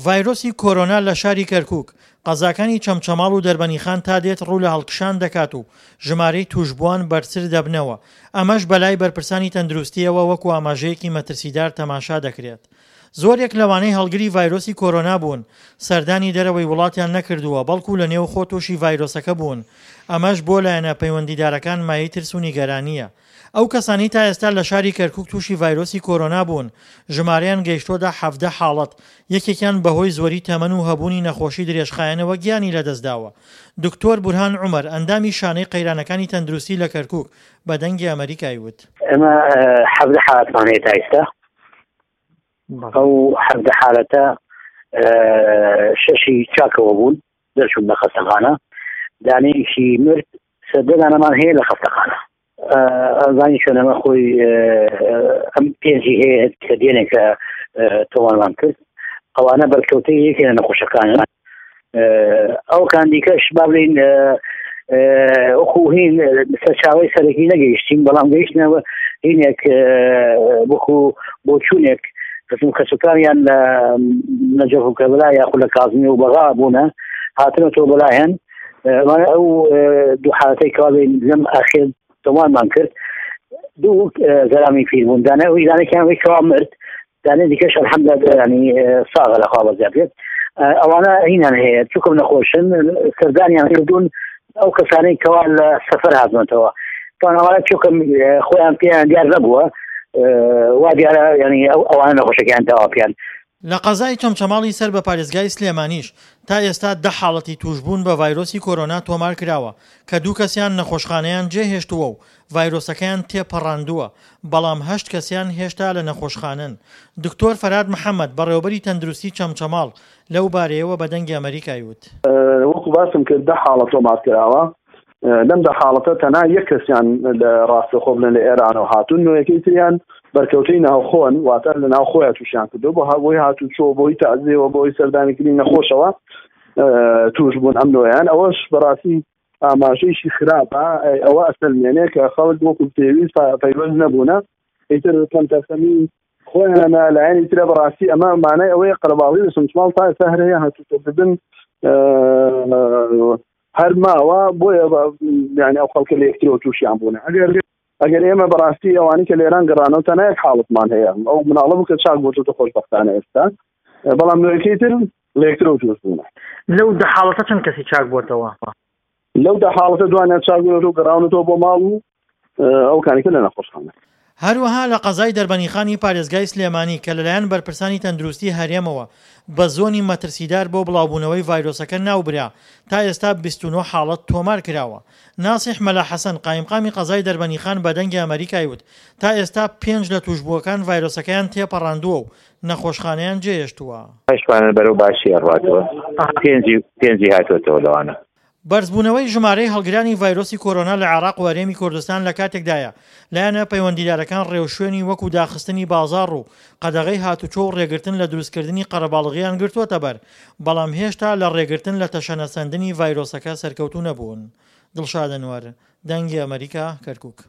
ڤایرۆسی کۆرۆنا لە شاری کەرکوک، قەزاکانی چەمچەماڵ و دەربەنیخان تا دێت ڕوو لە هەڵکشان دەکات و ژمارەی تووشبووان بەرزتر دەبنەوە، ئەمەش بەلای بەرپرسانی تەندروستییەوە وەکو ئاماژەیەکی مەترسیدار تەماشا دەکرێت. زۆرێک لەوانەی هەڵگری ڤایرۆسی کۆرۆنا بوون، سەردانی دەرەوەی وڵاتیان نەکردووە، بەڵکو لە نێوخۆ تووشی ڤایرۆسەکە بوون، ئەمەش بۆ لایەنە پەیوەندیدارەکان مایەی ترس و نیگەرانییە. ئەو کەسانەی تا ئێستا لە شاری کەرکوک تووشی ڤایرۆسی کۆرۆنا بوون، ژمارەیان گەیشتۆتە 17 حاڵەت، یەکێکیان بەهۆی زۆری تەمەن و هەبوونی نەخۆشی درێژخایەنەوە گیانی لەدەستداوە. دکتۆر بورهان عومەر، ئەندامی شانەی قەیرانەکانی تەندروستی لە کەرکوک، بە دەنگی ئەمەریکای وت. ئێمە 17 حاڵەتمان هەیە تا ئێستا، ئەو 17 حاڵەتە شەشی چاکەوە بوون، دەرچوون لە خەستەخانە، دانەیەکی مرد، سەدە دانەمان هەیە لە خەستەخانە. ئەزانی چۆن ئەمە خۆی ئەم پێنجی هەیە کە دێنێک کە تۆمارمان کرد ئەوانە بەرکەوتەی یەکێ لە نەخۆشەکانن ئەو کان دیکەش با بڵین وەکو هین سەرچاوی سەرەکی نەگەیشتین بەڵام گەیشتنەوە هینێک وەکو بۆچوونێک قسم کەسوکاریان لە نەجەف و کەربەلا یاخود لە کازمی و بەغا بوونە هاتنەوە بەلایەن ئەو دوو حالەتەی کەوا لەم ئاخر تۆمارمان کرد دوو زەلامی پیر بوون دانە ئەوی دانێکیان وی کەوا مرد دانێ دیکەش الحەمدلله ینی ساغە لە خوا بەزیاد بێت ئەوانە هینان هەیە چوکم نەخۆشن سەردانیان کردوون ئەو کەسانەی کەوا لە سەفەر هاتنەوە تان ئەوانە چوکم خۆیان پێیان دیار نەبووە وا دیارە ینی ئەو ئەوانە نەخۆشەکەیان داوا پێیان لە قەزای چەمچەماڵی سەر بە پارێزگای سلێمانیش تا ئێستا دە حاڵەتی تووشبوون بە ڤایرۆسی کۆرۆنا تۆمارکراوە کە دوو کەسیان نەخۆشخانەیان جێهێشتووە و ڤایرۆسەکەیان تێپەڕاندووە، بەڵام هەشت کەسیان هێشتا لە نەخۆشخانەن. دکتۆر فەرهاد محەمەد، بەڕێوەبەری تەندروستی چەمچەماڵ لەو بارەیەوە بە دەنگی ئەمەریکای وت. وەکو باسم کرد دە حاڵەت تۆمارکراوە، لەم دە حاڵەتە تەنها یەک کەسیان لە ڕاستەخۆ بڵێن لە ئێرانەوە هاتوون، نۆیەکەی تریان بەرکەوتەی ناوخۆن، واتە لە ناوخۆیان تووشیان کردووە، بۆ بۆی هاتووچۆ، بۆی تەعزیەوە، بۆی سەردانیکردنی نەخۆشەوە تووش بوون ئەم نۆیان. ئەوەش بەڕاستی ئاماژەیەکی خراپە، ئەوە ئەسەلمێنێ کە خەڵک وەکو پێویست پەیوەست نەبوونە، ئیتر کەمتەرخەمی خۆیانە. لایەنی ترە بەڕاستی ئەمە مانای ئەوەیە قەرەباڵغی لە چەمچەماڵ تا ئێستا هەر هەیە، هاتوچۆکردن هەر ماوە، بۆیە یعنی ئەو خەڵکە لە یەکترەوە تووشیان بوونە. ئەگەر ئەگەر ئێمە بەڕاستی ئەوانی کە لێران گەڕانەوە تەنها یەک حاڵەتمان هەیە، ئەو مناڵە بوو کە چاک بۆتەوە خۆشبەختانە ئێستا، بەڵام نوێکەی تر لە یەکترەوە تووش بوونە. لەو دە حاڵەتە چەند کەسی چاک بۆتەوە؟ لەو دە حاڵەتە دوانیان چاک بوونەتەوە گەڕاونەتەوە بۆ ماڵ و ئەو کانیکە لە نەخۆشخانە. هەروەها لە قەزای دەربەنیخانی پارێزگای سلێمانی کە لەلایەن بەرپرسانی تەندروستی هەرێمەوە بە زۆنی مەترسیدار بۆ بڵاوبوونەوەی ڤایرۆسەکە ناوبرا، تا ئێستا 29 حاڵەت تۆمارکراوە. ناسیح مەلا حەسەن، قایمقامی قەزای دەربەنیخان بە دەنگی ئەمەریکای وت، تا ئێستا پێنج لە تووشبووەکان ڤایرۆسەکەیان تێپەڕاندووە و نەخۆشخانەیان جێهێشتووە. هەشتوانە بەرەو باشی ئەڕواتەوە، پێنجی پێنجی هاتووەتەوە لەوانە. بەرزبوونەوەی ژمارەی هەڵگرانی ڤایرۆسی کۆرۆنا لە عێراق و هەرێمی کوردستان لە کاتێکدایە، لایەنە پەیوەندیدارەکان ڕێوشوێنی وەکو داخستنی بازاڕ و قەدەغەی هاتوچۆ و ڕێگرتن لە دروستکردنی قەرەباڵغییان گرتووەتەبەر، بەڵام هێشتا لە ڕێگرتن لە تەشەنەسەندنی ڤایرۆسەکە سەرکەوتوو نەبوون. دڵشاد ئەنوەر، دەنگی ئەمەریکا، کەرکوک.